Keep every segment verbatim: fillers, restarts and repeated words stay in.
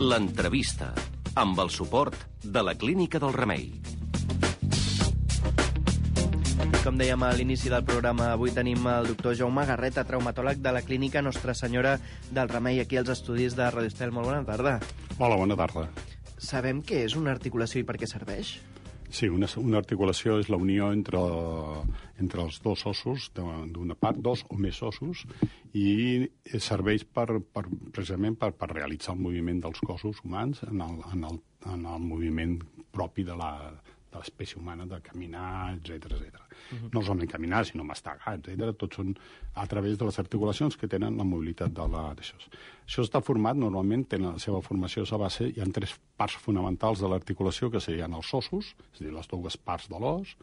L'entrevista, amb el suport de la Clínica del Remei. Com dèiem a l'inici del programa, avui tenim el doctor Jaume Garreta, traumatòleg de la Clínica Nostra Senyora del Remei, aquí als estudis de Radio Estel. Molt bona tarda. Hola, bona tarda. Sabem què és una articulació i per què serveix? Sí, una, una articulació és la unió entre, entre els dos ossos, d'una part, dos o més ossos, i serveix per, per, precisament per, per realitzar el moviment dels cossos humans en el, en el, en el moviment propi de la de l'espècie humana, de caminar, etcètera, etcètera. Uh-huh. No solament caminar, sinó mastegar, etcètera. Tots són a través de les articulacions que tenen la mobilitat de la, d'això. Això està format, normalment, tenen la seva formació a base, hi ha tres parts fonamentals de l'articulació, que serien els ossos, és a dir, les dues parts de l'os,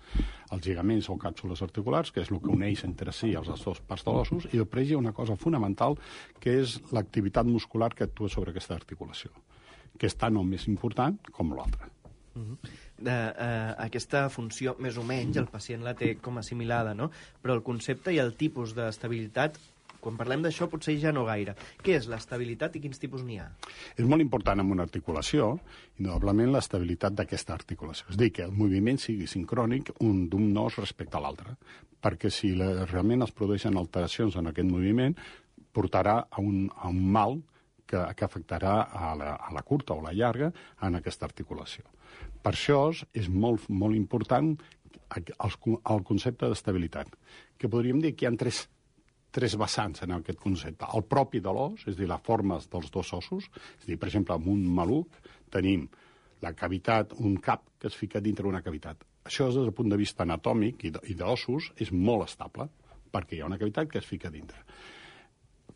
els lligaments o càpsules articulars, que és el que uneix entre si els dues parts de l'ossos, i després hi ha una cosa fonamental, que és l'activitat muscular que actua sobre aquesta articulació, que és tan o més important com l'altra. Uh-huh. de, uh, aquesta funció, més o menys, el pacient la té com assimilada, no? Però el concepte i el tipus d'estabilitat, quan parlem d'això, potser ja no gaire. Què és l'estabilitat i quins tipus n'hi ha? És molt important en una articulació, indudablement, l'estabilitat d'aquesta articulació. És a dir, que el moviment sigui sincrònic un d'un os respecte a l'altre, perquè si la, realment es produeixen alteracions en aquest moviment, portarà a un, a un mal que, que afectarà a la, a la curta o la llarga en aquesta articulació. Per això és molt, molt important el, el concepte d'estabilitat, que podríem dir que hi ha tres, tres vessants en aquest concepte. El propi de l'os, és a dir, les formes dels dos ossos, és a dir, per exemple, amb un maluc tenim la cavitat, un cap que es fica dintre una cavitat. Això, des del punt de vista anatòmic i d'ossos, és molt estable, perquè hi ha una cavitat que es fica dintre.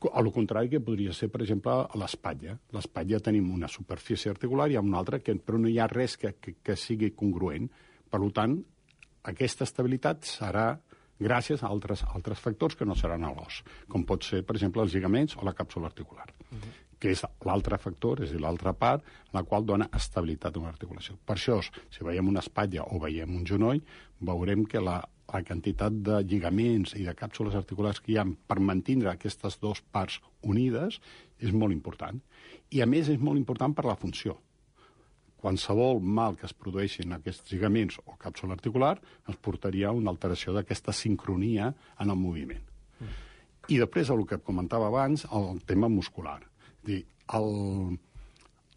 A lo contrari que podria ser, per exemple, a l'espatlla. A l'espatlla tenim una superfície articular i una altra, que, però no hi ha res que, que, que sigui congruent. Per tant, aquesta estabilitat serà gràcies a altres, altres factors que no seran a l'os, com pot ser, per exemple, els lligaments o la càpsula articular, uh-huh. que és l'altre factor, és a dir, l'altra part, la qual dona estabilitat a una articulació. Per això, si veiem una espatlla o veiem un genoll, veurem que la la quantitat de lligaments i de càpsules articulars que hi ha per mantenir aquestes dues parts unides és molt important. I, a més, és molt important per la funció. Qualsevol mal que es produeixi en aquests lligaments o càpsula articular ens portaria a una alteració d'aquesta sincronia en el moviment. Mm. I després, el que comentava abans, el tema muscular. És dir, el...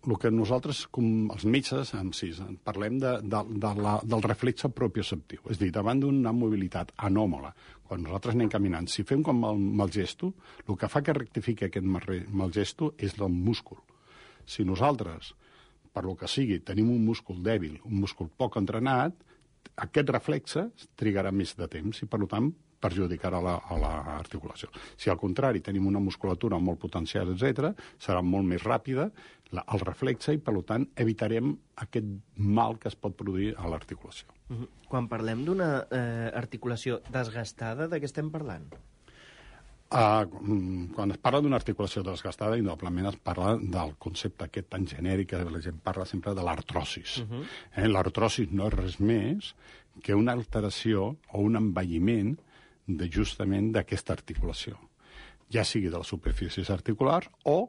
el que nosaltres, com els metges, en si, parlem de, de, de la, del reflexe propioceptiu. És a dir, davant d'una mobilitat anòmala, quan nosaltres anem caminant, si fem com el mal gesto, el que fa que rectifiqui aquest mal gesto és el múscul. Si nosaltres, per lo que sigui, tenim un múscul dèbil, un múscul poc entrenat, aquest reflexe trigarà més de temps i, per tant, perjudicarà la, a l'articulació. Si al contrari tenim una musculatura molt potencial, etcètera, serà molt més ràpida la, el reflexe i, per tant, evitarem aquest mal que es pot produir a l'articulació. Uh-huh. Quan parlem d'una eh, articulació desgastada, de què estem parlant? Uh, quan es parla d'una articulació desgastada, indudablement es parla del concepte aquest tan genèric que la gent parla sempre de l'artrosis. Uh-huh. eh, l'artrosis no és res més que una alteració o un envelliment de justament d'aquesta articulació, ja sigui de les superfícies articulars o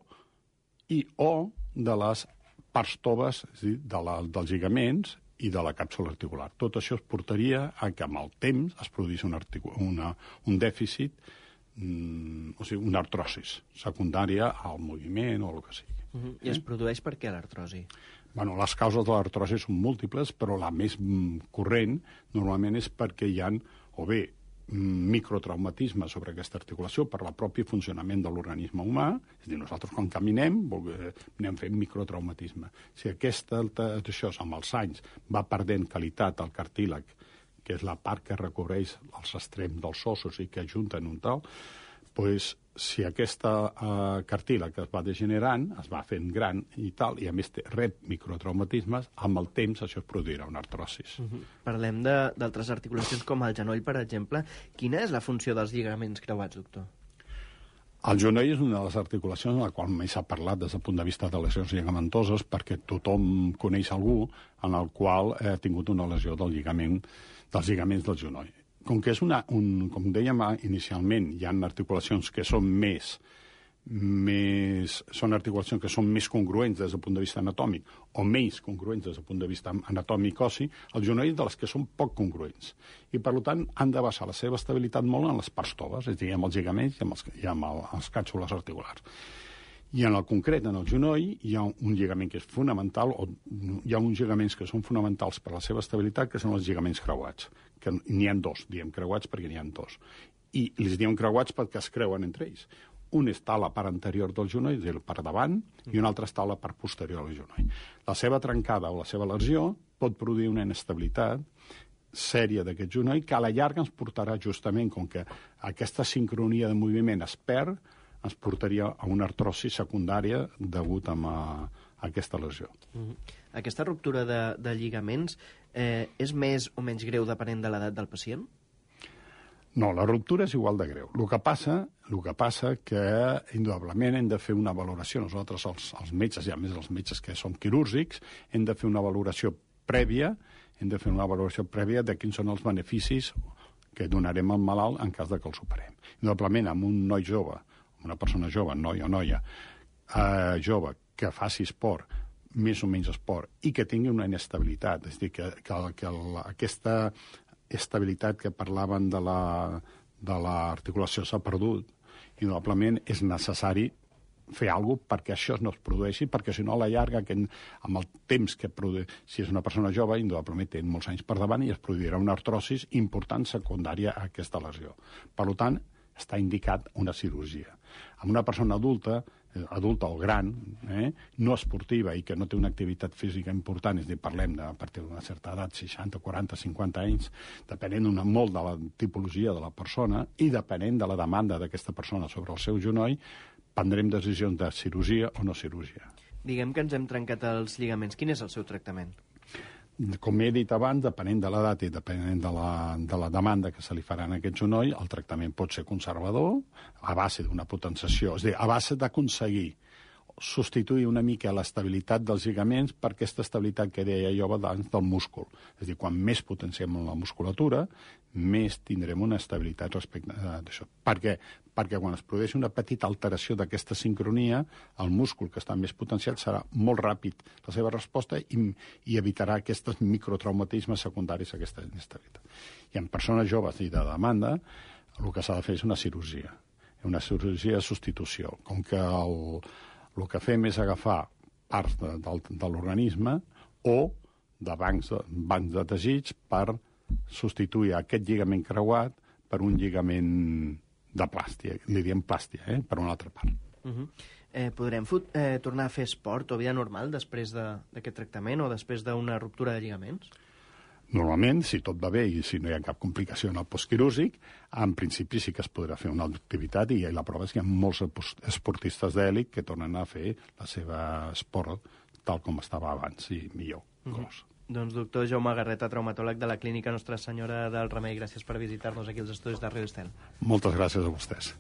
i o de les parts toves, és a dir, de la, dels lligaments i de la càpsula articular. Tot això es portaria a que amb el temps es produís una, una, un dèficit, mm, o sigui, una artrosis secundària al moviment o el que sigui. Uh-huh. I es produeix per què l'artrosi? Bueno, les causes de l'artrosi són múltiples, però la més mm, corrent normalment és perquè hi ha o bé microtraumatisme sobre aquesta articulació per la pròpia funcionament de l'organisme humà, és a dir, nosaltres quan caminem anem fent microtraumatisme. Si aquesta alteració amb els anys va perdent qualitat al cartílag, que és la part que recobreix els extrems dels ossos i que ajunten un tal, doncs si aquesta uh, cartílag que es va degenerant, es va fent gran i tal, i a més té, rep microtraumatismes, amb el temps això es produirà una artrosis. Uh-huh. Parlem d'altres articulacions com el genoll, per exemple. Quina és la funció dels lligaments creuats, doctor? El genoll és una de les articulacions en la qual més s'ha parlat des del punt de vista de lesions lligamentoses, perquè tothom coneix algú en el qual ha tingut una lesió del lligament, dels lligaments del genoll. Com que és una, un, com dèiem inicialment, hi ha articulacions que són més, més, són articulacions que són més congruents des del punt de vista anatòmic o menys congruents des del punt de vista anatòmic ossi, el genoll de les que són poc congruents. I, per tant, han de basar la seva estabilitat molt en les parts toves, és a dir, amb els lligaments i amb els, i amb el, els càpsules articulars. I en el concret, en el genoll, hi ha un lligament que és fonamental, o hi ha uns lligaments que són fonamentals per a la seva estabilitat, que són els lligaments creuats, que n'hi ha dos, diem creuats perquè n'hi ha dos. I els diem creuats perquè es creuen entre ells. Un està a la part anterior del genoll, és a dir, per davant, i un altre està a la part posterior del genoll. La seva trencada o la seva lesió pot produir una inestabilitat sèria d'aquest genoll que a la llarga ens portarà justament, com que aquesta sincronia de moviment es perd, ens portaria a una artrosi secundària degut a, a aquesta lesió. Mm-hmm. Aquesta ruptura de, de lligaments eh, és més o menys greu depenent de l'edat del pacient? No, la ruptura és igual de greu. El que passa, el que passa que, indudablement, hem de fer una valoració. Nosaltres, els, els metges, i a més els metges que són quirúrgics, hem de fer una valoració prèvia, hem de fer una valoració prèvia de quins són els beneficis que donarem al malalt en cas de que el superem. Indudablement, amb un noi jove, una persona jove, noi o noia, eh, jove, que faci esport, més o menys esport, i que tingui una inestabilitat, és a dir, que, que, que la, aquesta estabilitat que parlaven de la, de l'articulació s'ha perdut, indudablement és necessari fer alguna cosa perquè això no es produeixi, perquè si no a la llarga, que amb el temps que produeix, si és una persona jove, indudablement té molts anys per davant i es produirà una artrosis important secundària a aquesta lesió. Per tant, està indicat una cirurgia. Amb una persona adulta, adulta o gran, eh, no esportiva i que no té una activitat física important, és a dir, parlem de, a partir d'una certa edat, seixanta, quaranta, cinquanta anys, depenent una, molt de la tipologia de la persona i depenent de la demanda d'aquesta persona sobre el seu genoll, prendrem decisions de cirurgia o no cirurgia. Diguem que ens hem trencat els lligaments. Quin és el seu tractament? Com he dit abans, depenent de l'edat i depenent de la, de la demanda que se li farà en aquest genoll, el tractament pot ser conservador, a base d'una potenciació, és a dir, a base d'aconseguir substituir una mica l'estabilitat dels lligaments per aquesta estabilitat que deia jo abans del múscul. És a dir, quan més potenciem la musculatura, més tindrem una estabilitat respecte a això. Per què? Perquè quan es produeix una petita alteració d'aquesta sincronia, el múscul que està més potenciat serà molt ràpid la seva resposta i, i evitarà aquests microtraumatismes secundaris a aquesta inestabilitat. I en persones joves i de demanda, el que s'ha de fer és una cirurgia, una cirurgia de substitució. Com que el, el que fem és agafar parts de, de, de l'organisme o de bancs, bancs de teixits per substituir aquest lligament creuat per un lligament de plàstia, li diem plàstia, eh? Per una altra part. Uh-huh. eh, podrem fot, eh, tornar a fer esport o vida normal després d'aquest de, tractament o després d'una ruptura de lligaments? Normalment, si tot va bé i si no hi ha cap complicació en el postquirúrgic, en principi sí que es podrà fer una activitat i la prova és que hi ha molts esportistes d'èlit que tornen a fer la seva esport tal com estava abans i millor. Uh-huh. Doncs doctor Jaume Garreta, traumatòleg de la Clínica Nostra Senyora del Remei, gràcies per visitar-nos aquí als estudis de Ràdio Estel. Moltes gràcies a vostès.